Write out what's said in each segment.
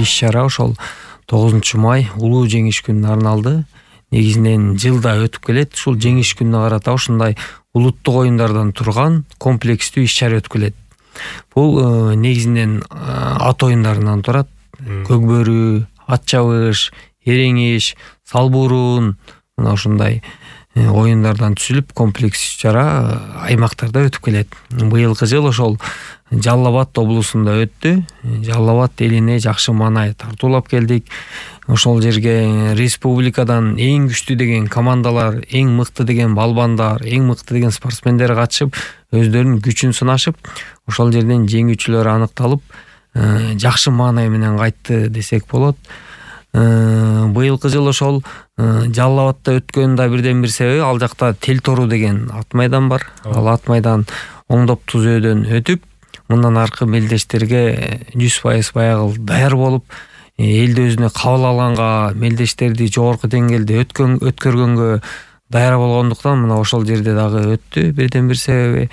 иш чара ошол 9 май улуу жеңиш күнүнө арналды. Негизинен жылда өтүп келет. Ушул жеңиш күнүнө карата ушундай улуттук оюндардан турган комплекстүү иш чара өтүп келет. Бул негизинен ат оюндарынан турат. Көкбөрү, ат чабыш, эреңиш, салбурун, мына ушундай оюндардан түзүлүп комплекс иш чара аймактарда өтүп келет. Быйылкы жыл ошол Жалал Абад облусунда өттү. Жалал Абад элине жакшы маанай тартуулап келдик. Ошол жерге республикадан эң күчтүү деген командалар, эң мыкты деген балбандар, эң мыкты деген спортсмендер катышып, өздөрүнүн күчүн сынашып, ошол жерден жеңүүчүлөр аныкталып, жакшы маанай менен кайтты десек болот. Быйылкы жыл ошол Жалал Абадта өткөнүн да бирден бир себеби, ал жакта Тел Тору деген ат майдан бар. Ал ат майдан оңдоп түзөөдөн өтүп, мындан аркы мелдештерге 100% баягы даяр болуп, элди өзүнө кабыл алганга, мелдештерди жогорку деңгээлде өткөргөнгө даяр болгондуктан мына ошол жерде дагы өттү. Бирден бир себеби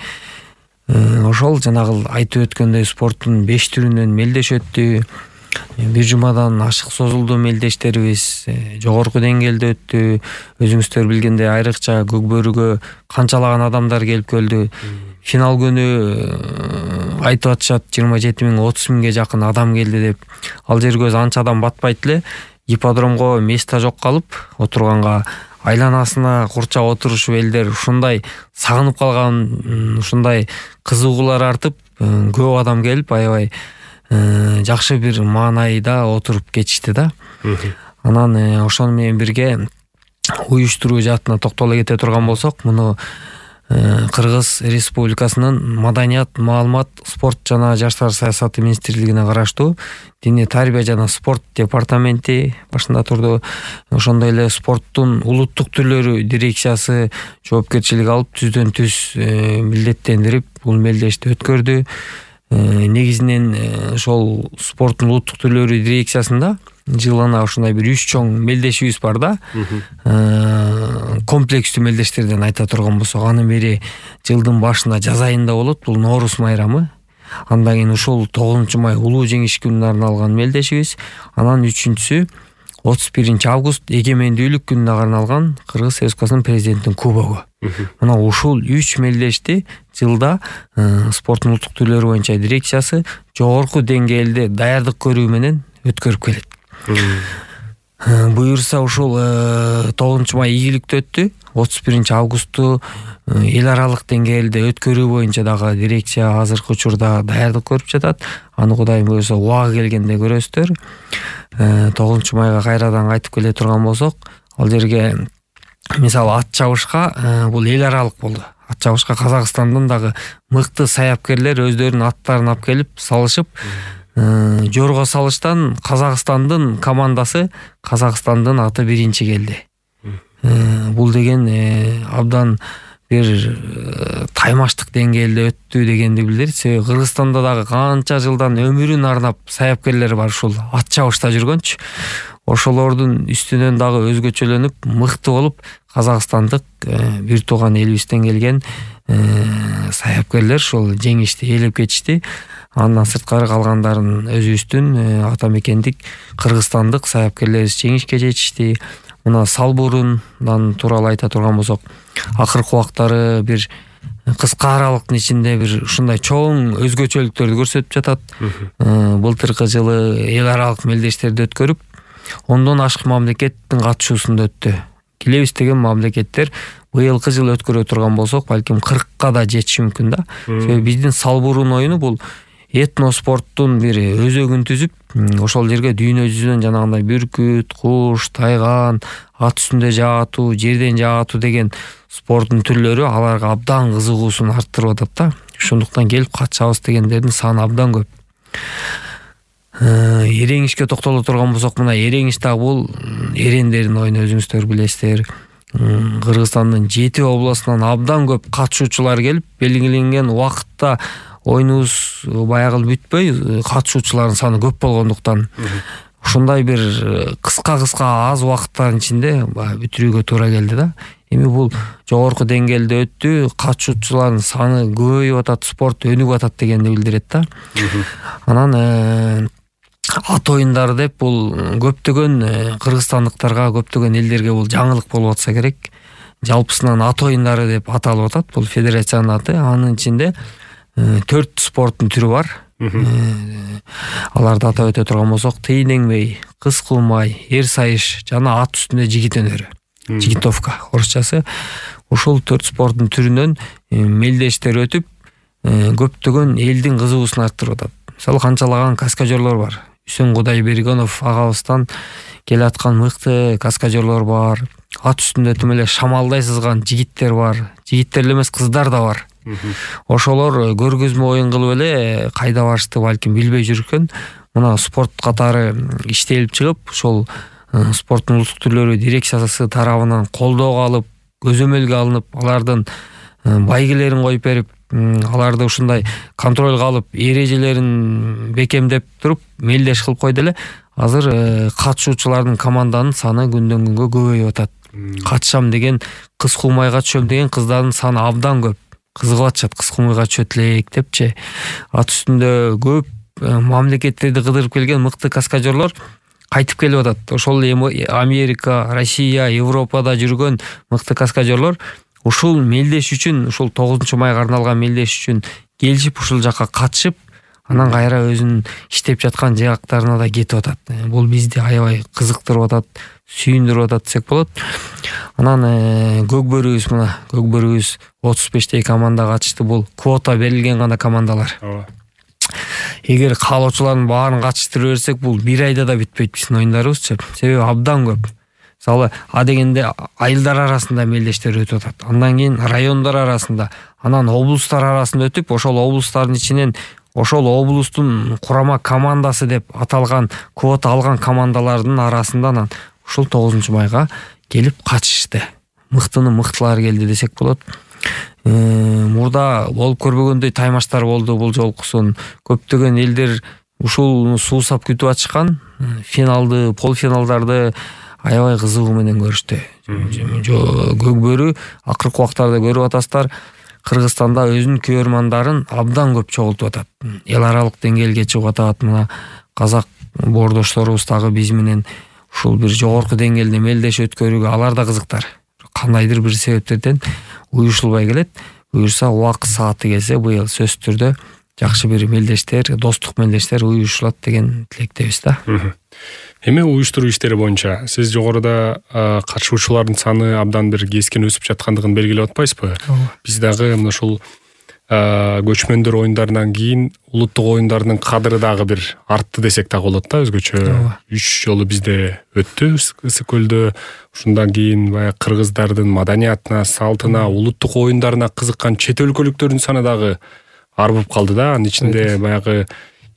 ошол жанагы айтып өткөндөй спорттун 5 түрүнөн мелдеш өттү. Бир жумадан ашык созулду мелдештерибиз жогорку деңгээлде өттү. Өзүңүздөр билгендей айрыкча Көкбөрүгө канчалаган адамдар келип келди. Финал күнү айтып атышат 27 миң 30 миңге жакын адам келди деп. Ал жерге анча адам батпайт эле. Ипподромго место жок калып, отурганга айланасына курчап отурушуп элдер ушундай сагынып калган, ушундай кызыгуулар артып, көп адам келип аябай жакшы бир маанайда отуруп кетишти да. Анан ошону менен бирге уюштуруу жаатына токтоло кете турган болсок, муну Кыргыз Республикасынын Маданият, маалымат, спорт жана жаштар саясаты министрлигине караштуу Диний тарбия жана спорт департаменти башында турду. Ошондой эле спорттун улуттук түрлөрү дирекциясы жоопкерчилик алып, түздөн түз милдеттендирип бул мелдешти өткөрдү. Негизинен ошол спорттун улуттук түрлөрү дирекциясында жылына ушундай бир 3 чоң мелдешибиз бар да. Комплекстүү мелдештерден айта турган болсок, анын бири жылдын башында жаз айында болот, бул Нооруз майрамы. Андан кийин ушул 9 май улуу жеңиш күнүнө арналган мелдешибиз. Анан 3-сү 31 август эгемендүүлүк күнүнө арналган Кыргыз Республикасынын президентинин кубогу. Мына ушул 3 мелдешти жылда спорттун улуттук түрлөрү боюнча дирекциясы жогорку деңгээлде даярдык көрүү менен өткөрүп келет. Буюрса ушул 9 май ийгиликтүү өттү. 31 августту эл аралык деңгээлде өткөрүү боюнча дагы дирекция азыркы учурда даярдык көрүп жатат. Аны Кудайым буйрса убагы келгенде көрөсүздөр. 9 майга кайрадан кайтып келе турган болсок, ал жерге мисалы ат чабышка бул эл аралык болду. Ат чабышка Казакстандан дагы мыкты саяпкерлер өздөрүнүн аттарын алып келип салышып, жорго салыштан Казакстандын командасы, Казакстандын аты биринчи келди. Бул деген абдан бир таймаштык деңгээлде өттү дегенди билдирет. Себеби Кыргызстанда дагы канча жылдан өмүрүн арнап саяпкерлер бар, ушул ат чабышта жүргөнчү. Ошолордун үстүнөн дагы өзгөчөлөнүп, мыкты болуп, казакстандык бир тууган элибизден келген саяпкерлер ушул жеңишти ээлеп кетишти. Андан сырткары калгандарын өзүбүздүн ата мекендик кыргызстандык саяпкерлерибиз жеңишке жетишти. Мына салбурундан тууралуу айта турган болсок, акыркы убактары бир кыска аралыктын ичинде бир ушундай чоң өзгөчөлүктөрдү көрсөтүп жатат. Былтыркы жылы эл аралык мелдештерди өткөрүп, 10дон ашык мамлекеттин катышуусунда өттү. Келебиз деген мамлекеттер быйылкы жылы өткөрө турган болсок, балким 40ка да жетиши мүмкүн да. Себеби биздин салбурун оюну бул этноспорттун бир өзөгүн түзүп, ошол жерге дүйнө жүзүнөн жанагындай бүркүт, куш, тайган, ат үстүндө жаатуу, жерден жаатуу деген спорттун түрлөрү аларга абдан кызыгуусун арттырып атат да. Ошондуктан келип катышабыз дегендердин саны абдан көп. Эреңишке токтоло турган болсок, мына эреңиш да бул эрендердин оюну, өзүңүздөр билесиздер. Кыргызстандын 7 областынан абдан көп катышуучулар келип, белгиленген убакытта оюнубуз баягы бүтпөй, катышуучулардын саны көп болгондуктан ушундай бир кыска аз убакыттын ичинде бүтүрүүгө туура келди да. Эми бул жогорку деңгээлде өттү, катышуучулардын саны көбөйүп атат, спорт өнүгүп атат дегенди билдирет да. Анан ат оюндары деп бул көптөгөн кыргызстандыктарга, көптөгөн элдерге бул жаңылык болуп атса керек. Жалпысынан ат оюндары деп аталып атат. Бул федерациянын аты. Анын ичинде 4 спорттун түрү бар. Аларды атап өтө турган болсок, тыйын-эңбей, кыз кылмай, эр сайыш жана ат үстүндө жигит өнөрү. Жигитовка орусчасы. Ушул 4 спорттун түрүнөн мелдештер өтүп, көптөгөн элдин кызыгуусун арттырып атат. Мисалы канчалаган каскадерлор бар. Үсөн Кудайбергенов агабыздан келаткан мыкты каскадерлор бар. Ат үстүндө тим эле шамалдай сызган жигиттер бар. Жигиттер эле эмес, кыздар да бар. Ошолор көргөзмө оюн кылып эле кайда барышты балким билбей жүргөн. Мына спорт катары иштелип чыгып, ошол спорттун улуттук түрлөрү дирекциясы тарабынан колдоого алып, көзөмөлгө алынып, алардын байгелерин коюп берип, аларды ушундай контролго алып, эрежелерин бекемдеп туруп, мелдеш кылып койду эле. Азыр катышуучулардын команданын саны күндөн күнгө көбөйүп атат. Катышам деген, кыз кылмайга түшөм деген кыздардын саны абдан көп. Кызыгып атышат, кыз кылмайга түшөт элек депчи. Ат үстүндө көп мамлекеттерди кыдырып келген мыкты каскадерлор кайтып келип атат. Ошол Америка, Россия, Европада жүргөн мыкты каскадерлор ушул мелдеш үчүн, ушул 9-майга арналган мелдеш үчүн келишип, ушул жака катышып, анан кайра өзүнүн иштеп жаткан жактарына да кетип атат. Бул бизди аябай кызыктырып атат, сүйүндүрүп атат десек болот. Анан Көкбөрүбүз, мына Көкбөрүбүз 35 команда катышты. Бул квота берилген гана командалар. Эгер каалоочулардын баарын катыштыра берсек, бул бир айда да бүтпөйт биздин оюндарыбызчы. Себеби абдан көп. Мисалы, дегенде айылдар арасында мелдештер өтүп атат. Андан кийин райондар арасында, анан облустар арасында өтүп, ошол облустардын ичинен ошол облустун курама командасы деп аталган квота алган командалардын арасында ушул 9-майга келип катышты. Мыктыны мыктылары келди десек болот. Мурда болуп көрбөгөндөй таймаштар болду бул жолкусун. Көптөгөн элдер ушул суусап күтүп атышкан финалды, полуфиналдарды аябай кызыгуу менен көрүштү. Көкбөрү акыркы убактарда көрүп атасыздар, Кыргызстанда өзүнүн көрөрмандарын абдан көп чогултуп атат. Эл аралык деңгээлге чыгып атат. Мына казак боордошторубуз дагы биз менен ушул бир жогорку деңгээлде мелдеш өткөрүүгө алар да кызыктар. Кандайдыр бир себептерден уюшулбай келет. Буюрса убакыт сааты келсе, быйыл сөзсүз түрдө жакшы бир мелдештер, достук мелдештер уюшулат деген тилектебиз да. Эми уюштуруу иштери боюнча сиз жогоруда катышуучулардын саны абдан бир кескин өсүп жаткандыгын белгилеп атпайсызбы? Биз дагы мына ушул көчмөндөр оюндарынан кийин улуттук оюндардын кадыры дагы бир артты десек дагы болот да, өзгөчө. 3 жолу бизде өттү Ысык көлдө. Ушундан кийин баягы кыргыздардын маданиятына, салтына, улуттук оюндарына кызыккан чет өлкөлүктөрдүн саны дагы арбып калды да. Анын ичинде баягы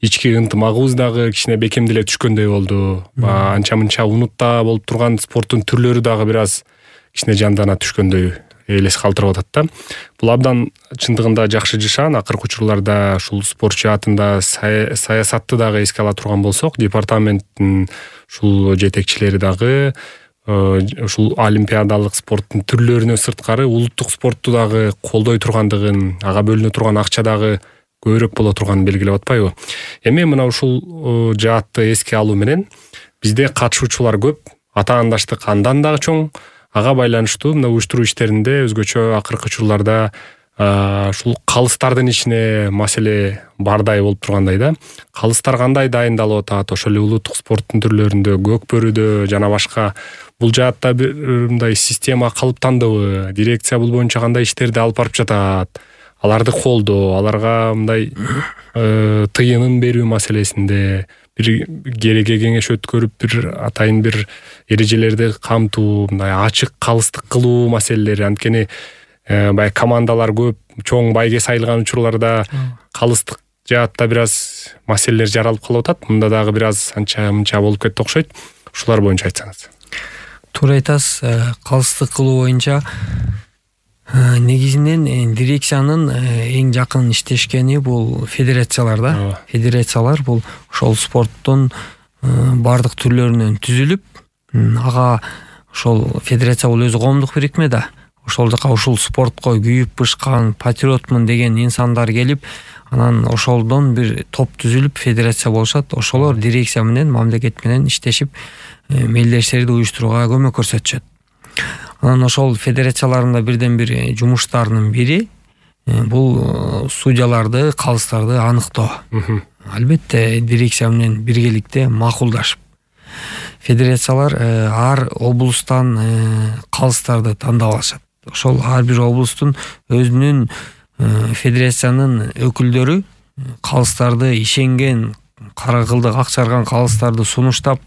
ички ынтымагыбыз дагы кичине бекемделе түшкөндөй болду. Анча-мынча унутта болуп турган спорттун түрлөрү дагы бир аз кичине жандана түшкөндөй элес калтырып атат да. Бул абдан чындыгында жакшы жышаан. Акыркы учурларда ушул спорт жаатында саясатты дагы эске ала турган болсок, департаменттин ушул жетекчилери дагы ушул олимпиадалык спорттун түрлөрүнө сырткары улуттук спортту дагы колдой тургандыгын, ага бөлүнө турган акча дагы көбүрөөк боло турганын белгилеп атпайбы? Эми мына ушул жаатты эске алуу менен бизде катышуучулар көп, атаандаштык андан дагы чоң. Ага байланыштуу мына уюштуруу иштеринде өзгөчө акыркы учурларда ушул калыстардын ичине маселе бардай болуп тургандай да. Калыстар кандай дайындалып атат? Ошол эле улуттук спорттун түрлөрүндө, Көкбөрүдө жана башка бул жаатта бир мындай система калыптандыбы? Дирекция бул боюнча кандай иштерди алып барып жатат? Аларды колдоо, аларга мындай тыйынын берүү маселесинде бир кереге кеңеш өткөрүп, бир атайын бир эрежелерди камтуу, мындай ачык калыстык кылуу маселелери. Анткени баягы командалар көп, чоң байге сайылган учурларда калыстык жаатта бир аз маселелер жаралып калып атат. Мында дагы бир аз анча-мынча болуп кетти окшойт. Ушулар боюнча айтсаңыз. Туура айтасыз. Калыстык кылуу боюнча негизинен дирекциянын эң жакын иштешкени бул федерациялар да. Федерациялар бул ошол спорттун бардык түрлөрүнөн түзүлүп, ага ошол федерация бул өзү коомдук бирикме да. Ошол жака ушул спортко күйүп бышкан, патриотмун деген инсандар келип, Анан ошолдон бир топ түзүлүп федерация болушат. Ошолор дирекция менен, мамлекет менен иштешип мелдештерди уюштурууга көмөк көрсөтүшөт. Анан ошол федерацияларында бирден бир жумуштарынын бири бул судьяларды, калыстарды аныктоо. Албетте дирекция менен биргеликте макулдашып федерациялар ар облустан калыстарды тандап алышат. Ошол ар бир облустун өзүнүн федерациянын өкүлдөрү калыстарды ишенген, кара кылдык ак чарган калыстарды сунуштап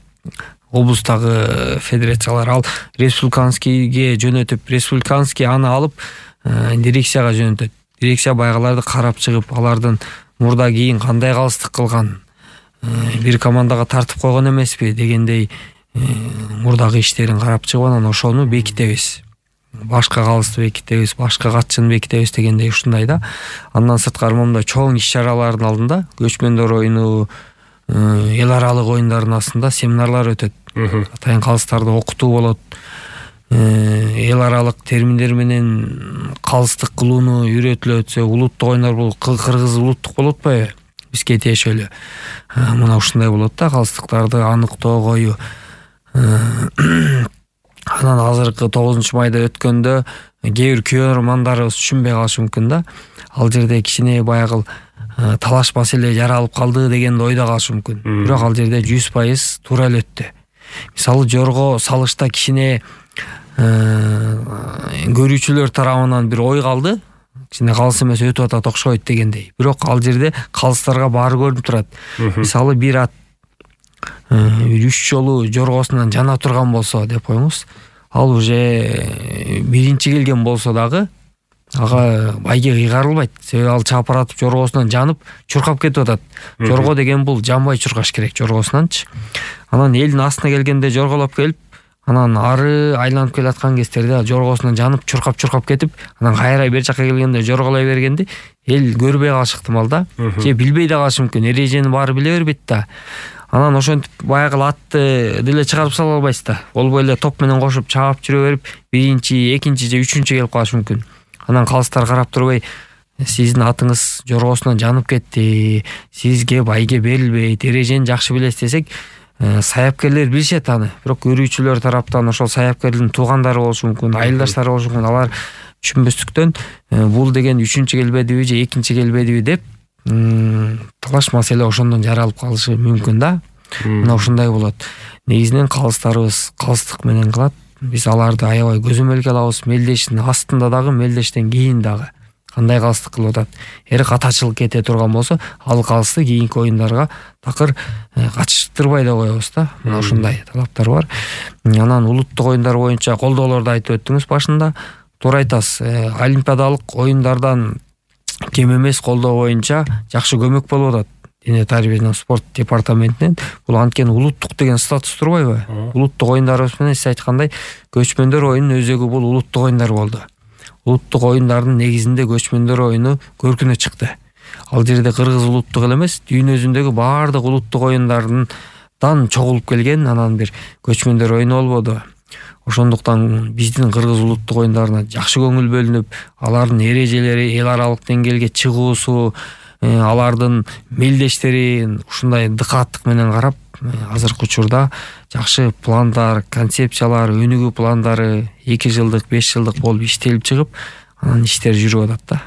облустагы федерациялар ал республиканскийге жөнөтүп, республиканский аны алып дирекцияга жөнөтөт. Дирекция байгыларды карап чыгып, алардын мурда кийин кандай калыстык кылган, бир командага тартып койгон эмеспи дегендей мурдагы иштерин карап чыгып, анан ошону бекитебиз. Башка калысты бекитебиз, башка катчыны бекитебиз дегендей ушундай да. Андан сырткары момундай чоң иш-чаралардын алдында көчмөндөр оюну, эл аралык оюндардын астында семинарлар өтөт. Атайын калыстарды окутуу болот. Эл аралык терминдер менен калыстык кылууну үйрөтүлөт. Улуттук оюндар бул кыргыз улуттук болуп атпайбы? Бизге тиешелүү. Мына ушундай болот да, калыстыктарды аныктоо кою. Анан азыркы 9-майда өткөндө кээ бир көрөрмандарыбыз түшүнбөй калышы мүмкүн да. Ал жерде кичине баягы талаш маселе жаралып калды деген ойдо калышы мүмкүн. Бирок ал жерде 100% туура эле өттү. Мисалы жорго салышта кичине көрүүчүлөр тарабынан бир ой калды. Кичине калыс эмес өтүп атат окшойт дегендей. Бирок ал жерде калыстарга баары көрүнүп турат. Мисалы бир ат 3 жолу жоргосунан жана турган болсо деп коюңуз. Ал уже биринчи келген болсо дагы ага байге кыйгарылбайт. Себеби ал чапаратып жоргосунан жанып чуркап кетип атат. Жорго деген бул жанбай чуркаш керек жоргосунанчы. Анан элдин астына келгенде жорголоп келип, анан ары айланып келаткан кездерде жоргосунан жанып чуркап кетип, анан кайра бер жакка келгенде жорголой бергенде эл көрбөй калышы ыктымал да. Же билбей да калышы мүмкүн. Эрежени баары биле бербейт да. Анан ошентип баягы атты деле чыгарып сала албайсыз да. Болбой эле топ менен кошуп чаап жүрө берип, биринчи, экинчи же үчүнчү келип калышы мүмкүн. Анан калыстар карап турбай, сиздин атыңыз жоргосунан жанып кетти, сизге байге берилбейт, эрежени жакшы билесиз десек, саяпкерлер билишет аны. Бирок көрүүчүлөр тараптан ошол саяпкердин туугандары болушу мүмкүн, айылдаштары болушу мүмкүн. Алар түшүнбөстүктөн бул деген үчүнчү келбедиби же экинчи келбедиби деп талаш маселе ошондон жаралып калышы мүмкүн да. Мына ушундай болот. Негизинен калыстарыбыз калыстык менен кылат. Биз аларды аябай көзөмөлгө алабыз. Мелдештин астында дагы, мелдештен кийин дагы кандай калыстык кылып атат. Эгер катачылык кете турган болсо, ал калысты кийинки оюндарга такыр катыштырбай да коебуз да. Мына ушундай талаптар бар. Анан улуттук оюндар боюнча колдоолорду айтып өттүңүз башында. Туура айтасыз. Олимпиадалык оюндардан кем эмес колдоо боюнча жакшы көмөк болуп атат. Дене тарбия жана спорт департаментинен. Бул анткени улуттук деген статус турбайбы? Улуттук оюндарыбыз менен сиз айткандай көчмөндөр оюнунун өзөгү бул улуттук оюндар болду. Улуттук оюндардын негизинде көчмөндөр оюну көркүнө чыкты. Ал жерде кыргыз улуттук эле эмес, дүйнө жүзүндөгү баардык улуттук оюндардан чогулуп келген анан бир көчмөндөр оюну болбоду. Ошондуктан биздин кыргыз улуттук оюндарына жакшы көңүл бөлүнүп, алардын эрежелери эл аралык деңгээлге чыгуусу, алардын мелдештери ушундай дыкааттык менен карап, азыркы учурда жакшы пландар, концепциялар, өнүгүү пландары 2 жылдык, 5 жылдык болуп иштелип чыгып, анан иштер жүрүп атат да.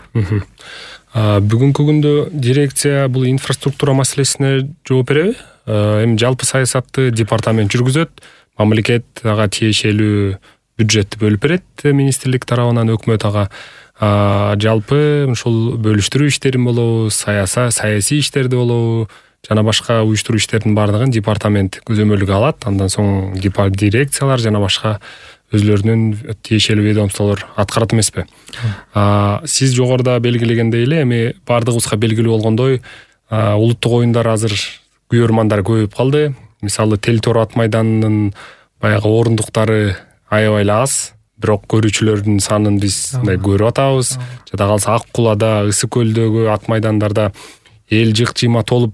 Бүгүнкү күндө дирекция бул инфраструктура маселесине жооп береби? Эми жалпы саясатты департамент жүргүзөт, мамлекет ага тиешелүү бюджетти бөлүп берет министрлик тарабынан өкмөт ага. Жалпы ушул бөлүштүрүү иштерин болобу, саясий иштерди болобу, жана башка уюштуруу иштердин баардыгын департамент көзөмөлгө алат. Андан соң дирекциялар жана башка өзлөрүнүн тиешелүү ведомстволор аткарат эмеспи? Сиз жогоруда белгилегендей эле, эми баардыгыбызга белгилүү болгондой, улуттук оюндар азыр күйөрмандар көбөйүп калды. Мисалы Тел-Тор ат майданынын баягы орундуктары аябай эле аз, бирок көрүүчүлөрдүн санын биз мындай көрүп атабыз. Жада калса Ак Кулада, Ысык көлдөгү ат майдандарда эл жык-жыйма толуп,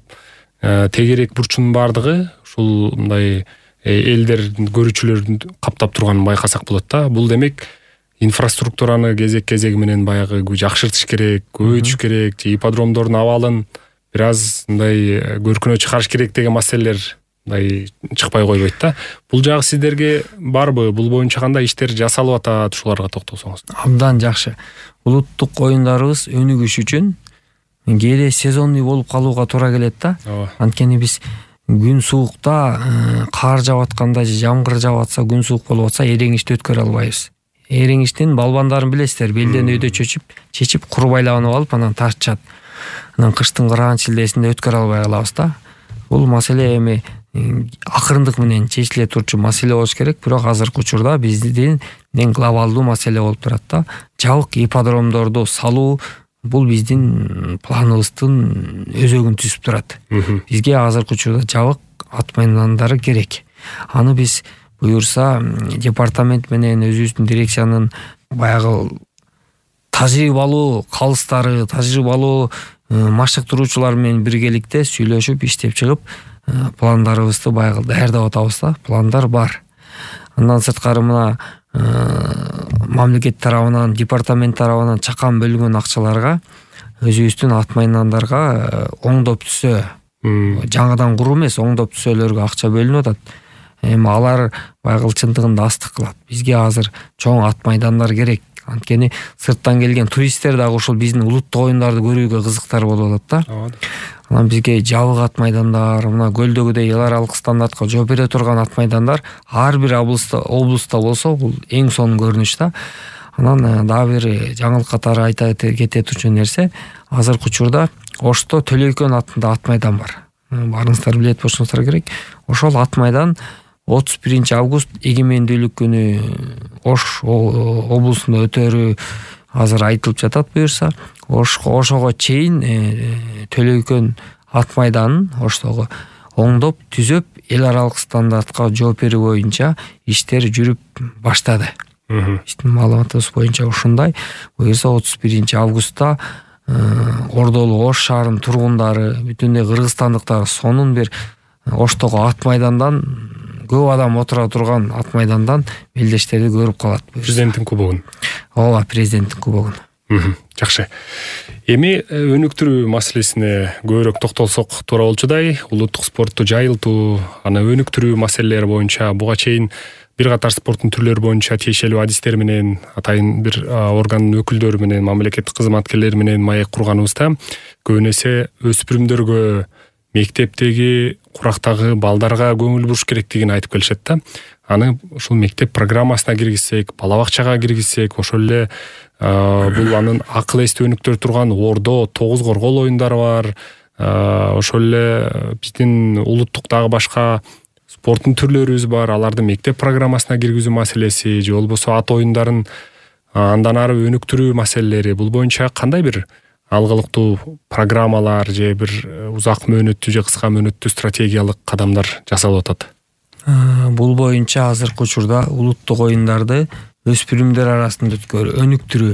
тегерек бурчунун баардыгы ушул мындай элдер көрүүчүлөрдүн каптап турганын байкасак болот да. Бул демек инфраструктураны кезеги менен баягы жакшыртыш керек, көбөйтүш керек, же ипподромдордун абалын бир аз мындай көркүнө чыгарыш керек деген маселелер мындай чыкпай койбойт да. Бул жагы сиздерге барбы? Бул боюнча кандай иштер жасалып атат? Ушуларга токтолсоңуз. Абдан жакшы. Улуттук оюндарыбыз өнүгүш үчүн кээде сезонный болуп калууга туура келет да. Анткени биз күн суукта, кар жаап атканда же жамгыр жаап атса, күн суук болуп атса, эреңишти өткөрө албайбыз. Эреңиштин балбандарын билесиздер, белден өйдө чечип кур байланып алып, анан тартышат. Анан кыштын кырган шилдесинде өткөрө албай калабыз да. Бул маселе эми акырындык менен чечиле турчу маселе болуш керек, бирок азыркы учурда биздин эң глобалдуу маселе болуп турат да. Жабык ипподромдорду салуу бул биздин планыбыздын өзөгүн түзүп турат. Бизге азыркы учурда жабык ат майдандары керек. Аны биз буюрса департамент менен өзүбүздүн дирекциянын баягы тажрыйбалуу калыстары, тажрыйбалуу машыктыруучулар менен биргеликте сүйлөшүп иштеп чыгып пландарыбызды баягы даярдап атабыз да. Пландар бар. Андан сырткары мына мамлекет тарабынан, департамент тарабынан чакан бөлүнгөн акчаларга өзүбүздүн ат майдандарга оңдоп түзөө, жаңыдан куруу эмес, оңдоп түзөөлөргө акча бөлүнүп атат. Эми алар баягы чындыгында астык кылат. Бизге азыр чоң ат майдандар керек. Анткени сырттан келген туристтер дагы ушул биздин улуттук оюндарды көрүүгө кызыктар болуп атат да. Анан бизге жабык ат майдандар, мына көлдөгүдөй эл аралык стандартка жооп бере турган ат майдандар ар бир облустта болсо, бул эң сонун көрүнүш да. Анан дагы бир жаңылык катары айта кете турчу нерсе, азыркы учурда Ошто Төлөйкөн атында ат майдан бар. Барыңыздар билет болушуңуздар керек. Ошол ат майдан 31 август эгемендүүлүк күнү Ош облусунда өтөрү азыр айтылып жатат буюрса. Ошого чейин Төлөйкөн ат майданын Оштогу оңдоп түзөп эл аралык стандартка жооп берүү боюнча иштер жүрүп баштады. Биздин маалыматыбыз боюнча ушундай. Буюрса 31 августта Ордолу Ош шаарынын тургундары, бүтүндөй кыргызстандыктар сонун бир Оштогу ат майдандан көп адам отура турган ат майдандан белдештерди көрүп калат. Президенттин кубогун. Ооба, президенттин кубогун. Жакшы. Эми өнүктүрүү маселесине көбүрөөк токтолсок туура болчудай, улуттук спортту жайылтуу, аны өнүктүрүү маселелери боюнча буга чейин бир катар спорттун түрлөрү боюнча тиешелүү адистер менен, атайын бир органдын өкүлдөрү менен, мамлекеттик кызматкерлери менен маек курганыбызда көбүн эсе өспүрүмдөргө, мектептеги курактагы балдарга көңүл буруш керектигин айтып келишет да. Аны ушул мектеп программасына киргизсек, бала бакчага киргизсек, ошол эле бул анын акыл эсти өнүктүрө турган Ордо, Тогуз Коргол оюндары бар. Ошол эле биздин улуттук дагы башка спорттун түрлөрүбүз бар. Аларды мектеп программасына киргизүү маселеси, же болбосо ат оюндарын андан ары өнүктүрүү маселелери, бул боюнча кандай бир алгылыктуу программалар же бир узак мөөнөттүү же кыска мөөнөттүү стратегиялык кадамдар жасалып атат? Бул боюнча азыркы учурда улуттук оюндарды өспүрүмдөр арасында өнүктүрүү,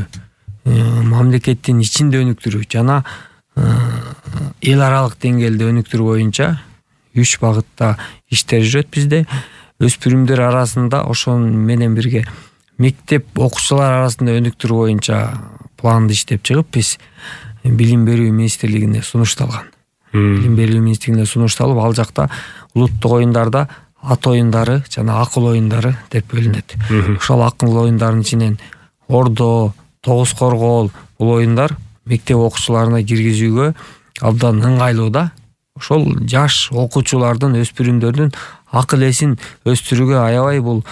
мамлекеттин ичинде өнүктүрүү жана эл аралык деңгээлде өнүктүрүү боюнча 3 багытта иштер жүрөт бизде. Өспүрүмдөр арасында ошон менен бирге мектеп окуучулар арасында өнүктүрүү боюнча планды иштеп чыгып, биз билим берүү министрлигине сунушталган. Билим берүү министрлигине сунушталып, ал жакта улуттук оюндарда ат оюндары жана акыл оюндары деп бөлүнөт. Ошол акыл оюндарынын ичинен Ордо, Тогуз Коргол бул оюндар мектеп окуучуларына киргизүүгө абдан ыңгайлуу да. Ошол жаш окуучулардын, өспүрүмдөрдүн акыл эсин өстүрүүгө аябай бул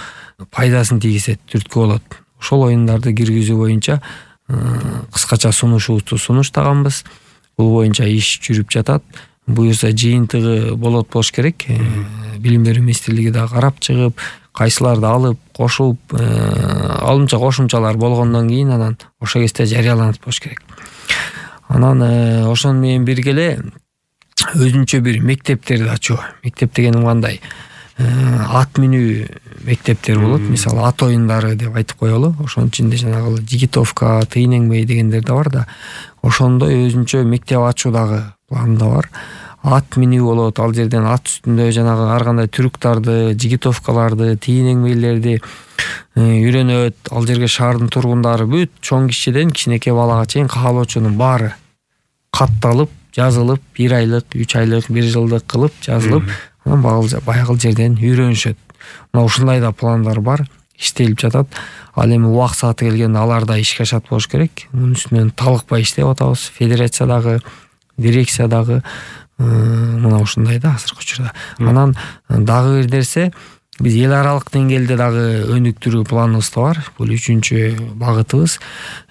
пайдасын тийгизет, түрткү болот. Ошол оюндарды киргизүү боюнча кыскача сунушубузду сунуштаганбыз. Бул боюнча иш жүрүп жатат. Буюрса жыйынтыгы болот болуш керек. Билим берүү министрлиги да карап чыгып, кайсыларды алып, кошуп, алымча кошумчалар болгондон кийин анан ошол кезде жарыяланат болуш керек. Анан ошон менен бирге эле өзүнчө бир мектептерди ачуу. Мектеп дегеним кандай? Ат минүү мектептер болот. Мисалы, ат оюндары деп айтып коелу. Ошонун ичинде жанагы жигитовка, тыйын эңмей дегендер да бар да. Ошондой өзүнчө мектеп ачуу дагы планда бар. Ат минүү болот. Ал жерден ат үстүндө жанагы ар кандай трюктарды, жигитовкаларды, тыйын эңмейлерди үйрөнөт. Ал жерге шаардын тургундары бүт чоң кишиден кичинекей балага чейин каалоочунун баары катталып, жазылып, 1 айлык, 3 айлык, 1 жылдык кылып жазылып, анан баягы жерден үйрөнүшөт. Мына ушундай да пландар бар, иштелип жатат. Ал эми убак сааты келгенде алар да ишке ашат болуш керек. Мунун үстүнөн талыкпай иштеп атабыз. Федерациядагы, дирекциядагы мына ушундай да азыркы учурда. Анан дагы бир нерсе, биз эл аралык деңгээлде дагы өнүктүрүү планыбыз бар. Бул 3-чү багытыбыз.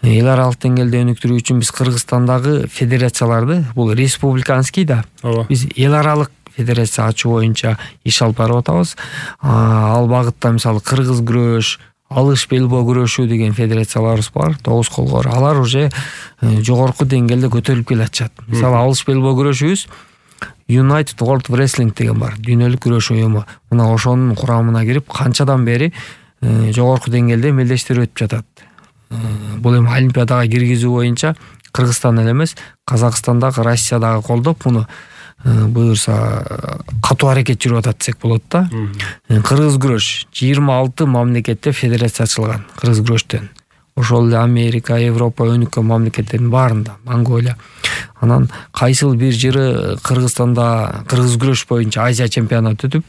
Эл аралык деңгээлде өнүктүрүү үчүн биз Кыргызстандагы федерацияларды, бул республиканский да, биз эл аралык федерация ачуу боюнча иш алып барып атабыз. Ал багытта мисалы кыргыз күрөш, алыш белбоо күрөшүү деген федерацияларыбыз бар, 9 колгор. Алар уже жогорку деңгээлде көтөрүлүп келатышат. Мисалы алыш белбоо күрөшүбүз United World Wrestling деген бар, дүйнөлүк күрөш уюму. Мына ошонун курамына кирип, канчадан бери жогорку деңгээлде эмелдештер өтүп жатат. Бул эми олимпиадага киргизүү боюнча Кыргызстан эле эмес, Казакстандагы, Россиядагы колдоп, муну буюрса катуу аракет жүрүп атат десек болот да. Кыргыз күрөш 26 мамлекетте федерация ачылган кыргыз күрөштөн. Ошол эле Америка, Европа өнүккөн мамлекеттердин баарында, Монголия. Анан кайсыл бир жыры Кыргызстанда кыргыз күрөш боюнча Азия чемпионаты өтүп,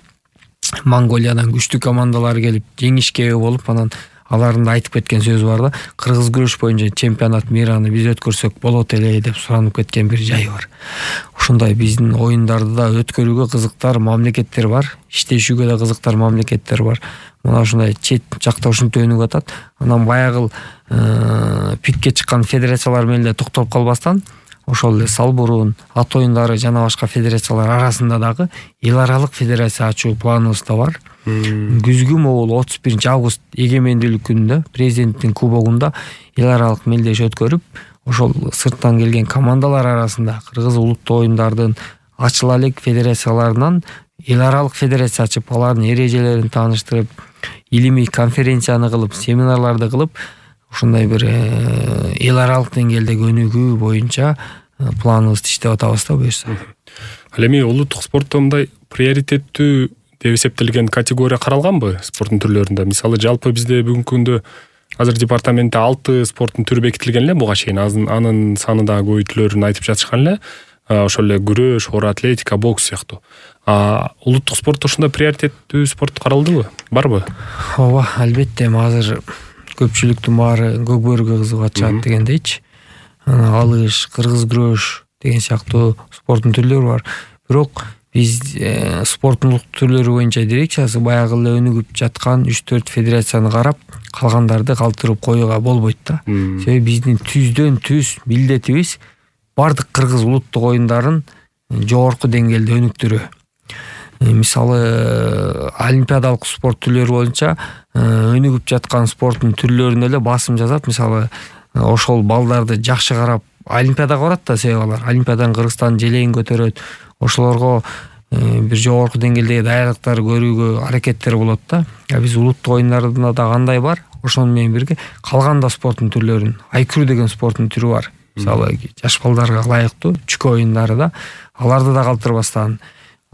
Монголиядан күчтүү командалар келип жеңишке ээ болуп, анан алардын да айтып кеткен сөзү бар да, кыргыз күрөш боюнча чемпионат мираны биз өткөрсөк болот эле деп суранып кеткен бир жайы бар. Ушундай биздин оюндарды да өткөрүүгө кызыктар мамлекеттер бар, иштешүүгө да кызыктар мамлекеттер бар. Мына ушундай чет жакта ушинтип өнүгүп атат. Анан баягы пикке чыккан федерациялар менен эле токтолуп калбастан, ошол эле Салбурун, ат оюндары жана башка федерациялар арасында дагы эл аралык федерация ачуу планыбыз да бар. Күзгү могул 31 август эгемендүүлүк күнүндө президенттин кубогунда эл аралык мелдеш өткөрүп, ошол сырттан келген командалар арасында кыргыз улуттук оюндардын ачыла элек федерацияларынан эл аралык федерация ачып, алардын эрежелерин тааныштырып, илимий конференцияны кылып, семинарларды кылып, ушундай бир эл аралык деңгээлдеги өнүгүү боюнча планыбызды иштеп атабыз да буюрса. Ал эми улуттук спортто мындай приоритеттүү деп эсептелген категория каралганбы спорттун түрлөрүндө? Мисалы жалпы бизде бүгүнкү күндө азыр департаментте 6 спорттун түрү бекитилген эле буга чейин. Анын саны да көбөйтүлөрүн айтып жатышкан эле. Ошол эле күрөш, оор атлетика, бокс сыяктуу. Улуттук спортто ушундай приоритеттүү спорт каралдыбы? Барбы? Ооба, албетте. Азыр көпчүлүктүн баары көкбөрүгө кызыгып атышат дегендейчи. Алыш, кыргыз күрөш деген сыяктуу спорттун түрлөрү бар. Бирок биз спорттун улуттук түрлөрү боюнча дирекциясы баягы эле өнүгүп жаткан 3-4 федерацияны карап, калгандарды калтырып коюуга болбойт да. Себеби биздин түздөн түз милдетибиз бардык кыргыз улуттук оюндарын жогорку деңгээлде өнүктүрүү. Мисалы олимпиадалык спорт түрлөрү боюнча өнүгүп жаткан спорттун түрлөрүнө эле басым жасап, мисалы ошол балдарды жакшы карап олимпиадага барат да, себеби алар олимпиадан Кыргызстан желегин көтөрөт. Ошолорго бир жогорку деңгээлдеги даярдыктар көрүүгө аракеттер болот да. Биз улуттук оюндарда да кандай бар, ошону менен бирге калган да спорттун түрлөрүн, айкүрүү деген спорттун түрү бар. Мисалы жаш балдарга ылайыктуу чүкө оюндары да, аларды да калтырбастан.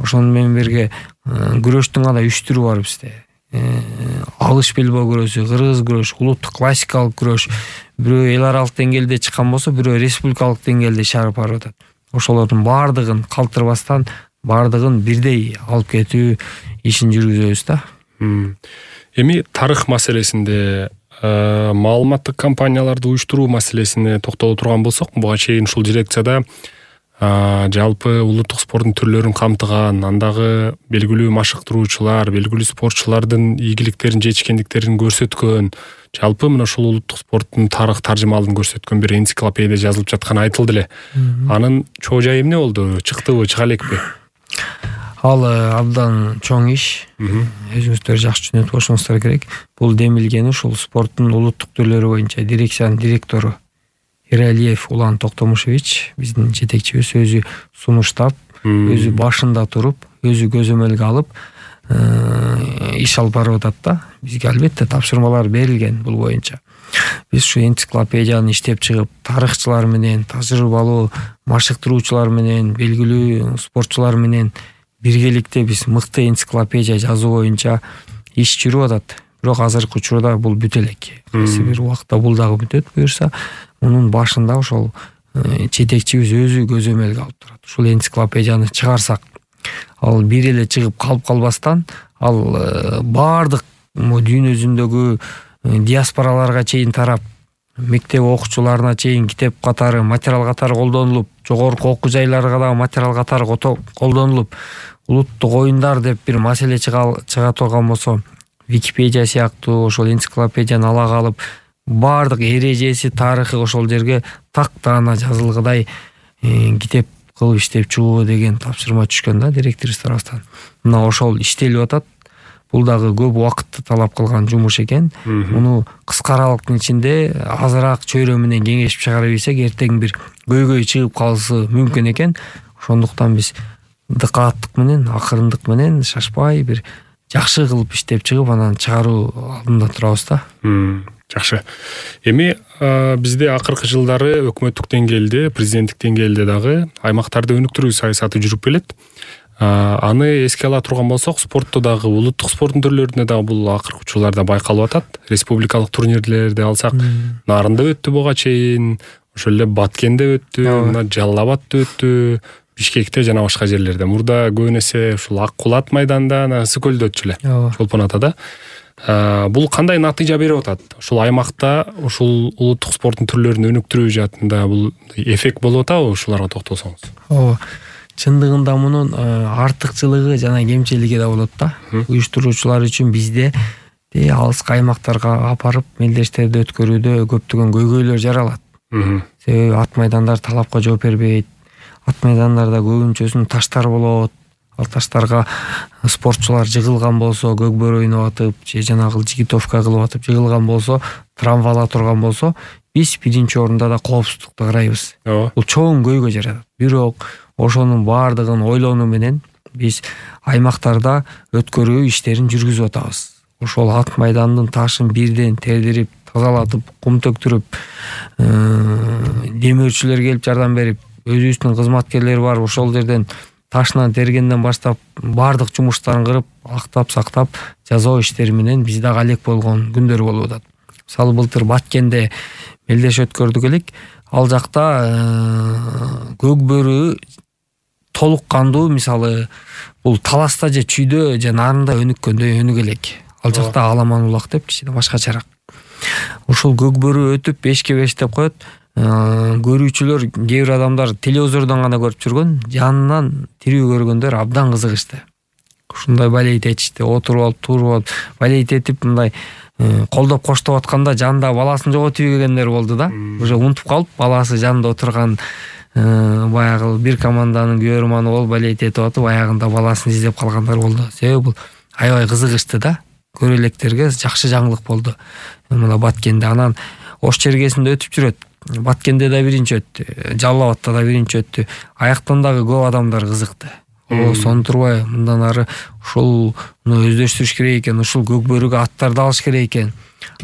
Ошону менен бирге күрөштүн гана 3 түрү бар бизде. Алыш белбоо күрөшү, кыргыз күрөш, улуттук классикалык күрөш. Бирөө эл аралык деңгээлде чыккан болсо, бирөө республикалык деңгээлде иш алып барып атат. Ошолордун баардыгын калтырбастан, баардыгын бирдей алып кетүү ишин жүргүзөбүз да. Эми тарых маселесинде, маалыматтык кампанияларды уюштуруу маселесине токтоло турган болсок, буга чейин ушул дирекцияда жалпы улуттук спорттун түрлөрүн камтыган, андагы белгилүү машыктыруучулар, белгилүү спортчулардын ийгиликтерин, жетишкендиктерин көрсөткөн, жалпы мына ушул улуттук спорттун тарых таржымалын көрсөткөн бир энциклопедия жазылып жатканы айтылды эле. Анын чоо жайы эмне болду? Чыктыбы, чыга элекпи? Ал абдан чоң иш. Өзүңүздөр жакшы түшүнөт болушуңуздар керек. Бул демилгени ушул спорттун улуттук түрлөрү боюнча дирекциянын директору Иралиев Улан Токтомушевич, биздин жетекчибиз, өзү сунуштап, өзү башында туруп, өзү көзөмөлгө алып иш алып барып атат да. Бизге албетте тапшырмалар берилген бул боюнча. Биз ушу энциклопедияны иштеп чыгып, тарыхчылар менен, тажрыйбалуу машыктыруучулар менен, белгилүү спортчулар менен биргеликте биз мыкты энциклопедия жазуу боюнча иш жүрүп атат. бирок азыркы учурда бул бүтө элек. Кайсы бир убакта бул дагы бүтөт буюрса, мунун башында ошол жетекчибиз өзү көзөмөлгө алып турат. Ушул энциклопедияны чыгарсак, ал бир эле чыгып калбастан, ал баардык дүйнө жүзүндөгү диаспораларга чейин тарап, мектеп окуучуларына чейин китеп катары, материал катары колдонулуп, жогорку окуу жайларга дагы материал катары колдонулуп, улуттук оюндар деп бир маселе чыга турган болсо, Википедия сыяктуу ошол энциклопедияны ала калып, баардык эрежеси, тарыхы ошол жерге тактаана жазылгыдай китеп кылып иштеп чыгуу деген тапшырма түшкөн да директорубуз тарабынан. Мына ошол иштелип атат. Бул дагы көп убакытты талап кылган жумуш экен. Муну кыска аралыктын ичинде азыраак чөйрө менен кеңешип чыгара билсек, эртең бир көйгөй чыгып калышы мүмкүн экен. Ошондуктан биз дыкааттык менен, акырындык менен, шашпай бир жакшы кылып иштеп чыгып, анан чыгаруу алдында турабыз да. Жакшы. Эми бизде акыркы жылдары өкмөттүк деңгээлде, президенттик деңгээлде дагы аймактарды өнүктүрүү саясаты жүрүп келет. Аны эске ала турган болсок, спортто дагы, улуттук спорттун түрлөрүндө дагы бул акыркы учурларда байкалып атат. Республикалык турнирлерди алсак, Нарында өттү буга чейин, ошол эле Баткенде өттү, мына Жалал Абадта өттү, Бишкекте жана башка жерлерде. Мурда көбүн эсе ушул Ак Кулат майданында, Ысык көлдө өтчү эле. Чолпон атада. Бул кандай натыйжа берип атат? Ушул аймакта ушул улуттук спорттун түрлөрүн өнүктүрүү жаатында бул эффект болуп атабы? Ушуларга токтолсоңуз. Чындыгында мунун артыкчылыгы жана кемчилиги да болот да. Уюштуруучулар үчүн бизде алыскы аймактарга апарып мелдештерди өткөрүүдө көптөгөн көйгөйлөр жаралат. Себеби ат майдандар талапка жооп бербейт. Ат майдандарда көбүнчөсүн таштар болот. Ал таштарга спортчулар жыгылган болсо, көкбөр ойноп атып, же жанагы жигитовка кылып атып жыгылган болсо, травмалар турган болсо, биз биринчи орунда да коопсуздукту карайбыз. Бул чоң көйгөй жаратат. Бирок ошонун баардыгын ойлонуу менен биз аймактарда өткөрүү иштерин жүргүзүп атабыз. Ошол ат майдандын ташын бирден тердирип, тазалатып, кум төктүрүп, демөөрчүлөр келип жардам берип, өзүбүздүн кызматкерлер бар, ошол жерден ташынан тергенден баштап баардык жумуштарын кырып, актап, сактап, жазуу иштери менен биз дагы алек болгон күндөр болуп атат. Мисалы былтыр Баткенде мелдеш өткөрдүк элек. Ал жакта көкбөрү толук кандуу, мисалы бул таласта же чүйдө же Нарында өнүккөндөй өнүк элек. Ал жакта Аламан улак деп кичине башкачараак. Ушул көкбөрү өтүп 5-5 деп коет. Көрүүчүлөр, кээ бир адамдар телевизордон гана көрүп жүргөн, жанынан тирүү көргөндөр абдан кызыгышты. Ушундай балейт этишти, отуруп алып, туруп алып, балейт этип мындай колдоп коштоп атканда жанында баласын жоготуп ийгендер болду да. Уже унутуп калып, баласы жанында отурган баягы бир команданын күйөрманы болуп балейт этип атып, аягында баласын издеп калгандар болду. Себеби бул аябай кызыгышты да. Көрө электерге жакшы жаңылык болду. Мына Баткенде анан Ош чергесинде өтүп жүрөт. Баткенде да биринчи өттү, Жалал Абадта да биринчи өттү. Аяктан дагы көп адамдар кызыкты. Сонун турбай, мындан ары ушул өздөштүрүш керек экен, ушул көкбөрүгө аттарды алыш керек экен,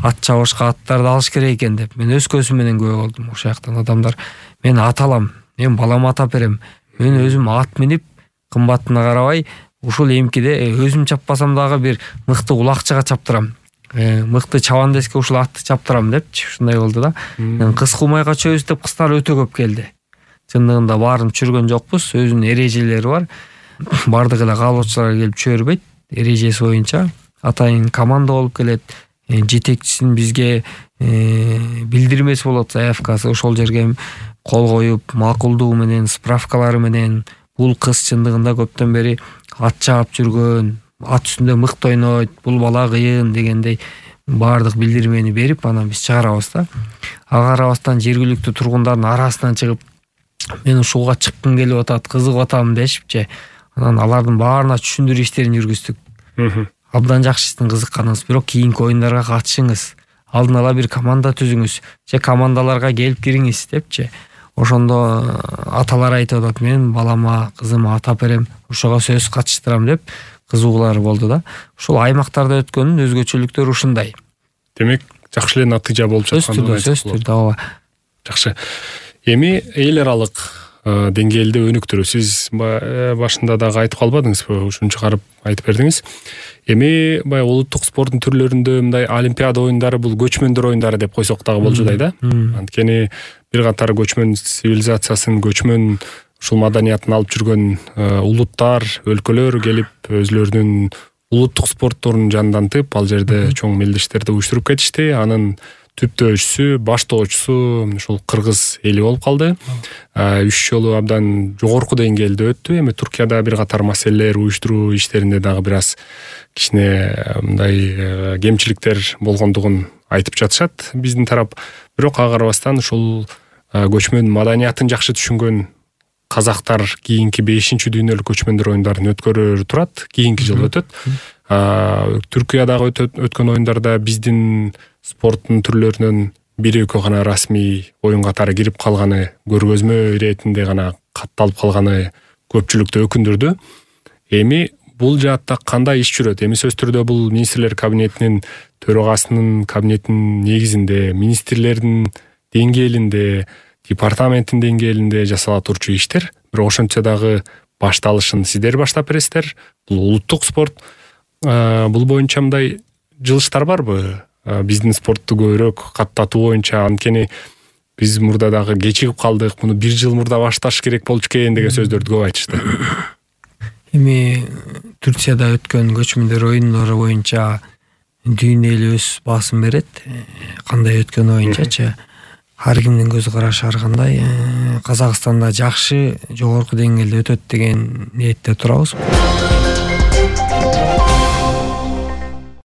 ат чабышка аттарды алыш керек экен деп мен өз көзүм менен көрүп болдум. Ошол жактан адамдар мен ат алам, мен балама атап берем, мен өзүм ат минип кымбатына карабай ушул эмкиде өзүм чаппасам дагы бир мыкты улакчыга чаптырам. Мыкты чабандеске ушул атты чаптырам депчи, ушундай болду да. Кыз кумайга чөбүз деп кыздар өтө көп келди. Чындыгында баарын түшүргөн жокпуз, өзүнүн эрежелери бар. Бардык эле каалоочулар келип чөбөрбөйт, эрежеси боюнча атайын команда болуп келет. Жетекчисин бизге билдирмеси болот, заявкасы, ошол жерге кол коюп, макулдуу менен, справкалары менен бул кыз чындыгында көптөн бери ат чаап жүргөн, ат үстүндө мыкты ойнойт, бул бала кыйын дегендей баардык билдирмени берип, анан биз чыгарабыз да. Ага карабастан жергиликтүү тургундардын арасынан чыгып, мен ушуга чыккым келип атат, кызыгып атам дешипчи, анан алардын баарына түшүндүрүү иштерин жүргүздүк. Абдан жакшы сиздин кызыкканыңыз, бирок кийинки оюндарга катышыңыз, алдын ала бир команда түзүңүз, же командаларга келип кириңиз депчи. Ошондо аталар айтып атат, мен балама, кызыма атап берем, ошого сөз катыштырам деп кызыгуулар болду да. Ушул аймактарда өткөндүн өзгөчөлүктөрү ушундай. Демек, жакшы эле натыйжа болуп жаткан. Сөз түрдө, ооба. Жакшы. Эми эл аралык деңгээлде өнүктүрүү. Сиз башында дагы айтып калбадыңызбы? Ушуну чыгарып айтып бердиңиз. Эми баягы улуттук спорттун түрлөрүндө мындай олимпиада оюндары бул көчмөндөр оюндары деп койсок дагы болжудай да. Анткени бир катар көчмөн цивилизациясын, көчмөн ушул маданиятын алып жүргөн улуттар, өлкөлөр келип өзлөрүнүн улуттук спортторун жандантып, ал жерде чоң мелдештерди уюштуруп кетишти. Анын түптөөчүсү, баштоочусу ушул кыргыз эли болуп калды. 3 жолу абдан жогорку деңгээлде өттү. Эми Туркияда бир катар маселелер уюштуруу иштеринде дагы бир аз кичине мындай кемчиликтер болгондугун айтып жатышат биздин тарап. Бирок ага карабастан ушул көчмөн маданиятын жакшы түшүнгөн казактар кийинки 5-дүйнөлүк көчмөндөр оюндарын өткөрөр турат. Кийинки жыл өтөт. Түркиядагы өткөн оюндарда биздин спорттун түрлөрүнөн 1-2 гана расмий оюн катары кирип калганы, көргөзмө иретинде гана катталып калганы көпчүлүктү өкүндүрдү. Эми бул жаатта кандай иш жүрөт? Эми сөзсүз түрдө бул министрлер кабинетинин төрагасынын кабинетинин негизинде, министрлердин деңгээлинде, департаменттин деңгээлинде жасала турчу иштер. Бирок ошентсе дагы башталышын сиздер баштап бересиздер. Бул улуттук спорт. Бул боюнча мындай жылыштар барбы? Биздин спортту көбүрөөк каттатуу боюнча, анткени биз мурда дагы кечигип калдык, муну 1 жыл мурда башташ керек болчу экен деген сөздөрдү көп айтышты. Эми Турцияда өткөн көчмөндөр оюндары боюнча дүйнө эли өз баасын берет. Кандай өткөн оюнчачы, ар кимдин көз карашы ар кандай. Казакстанда жакшы, жогорку деңгээлде өтөт деген ниетте турабыз.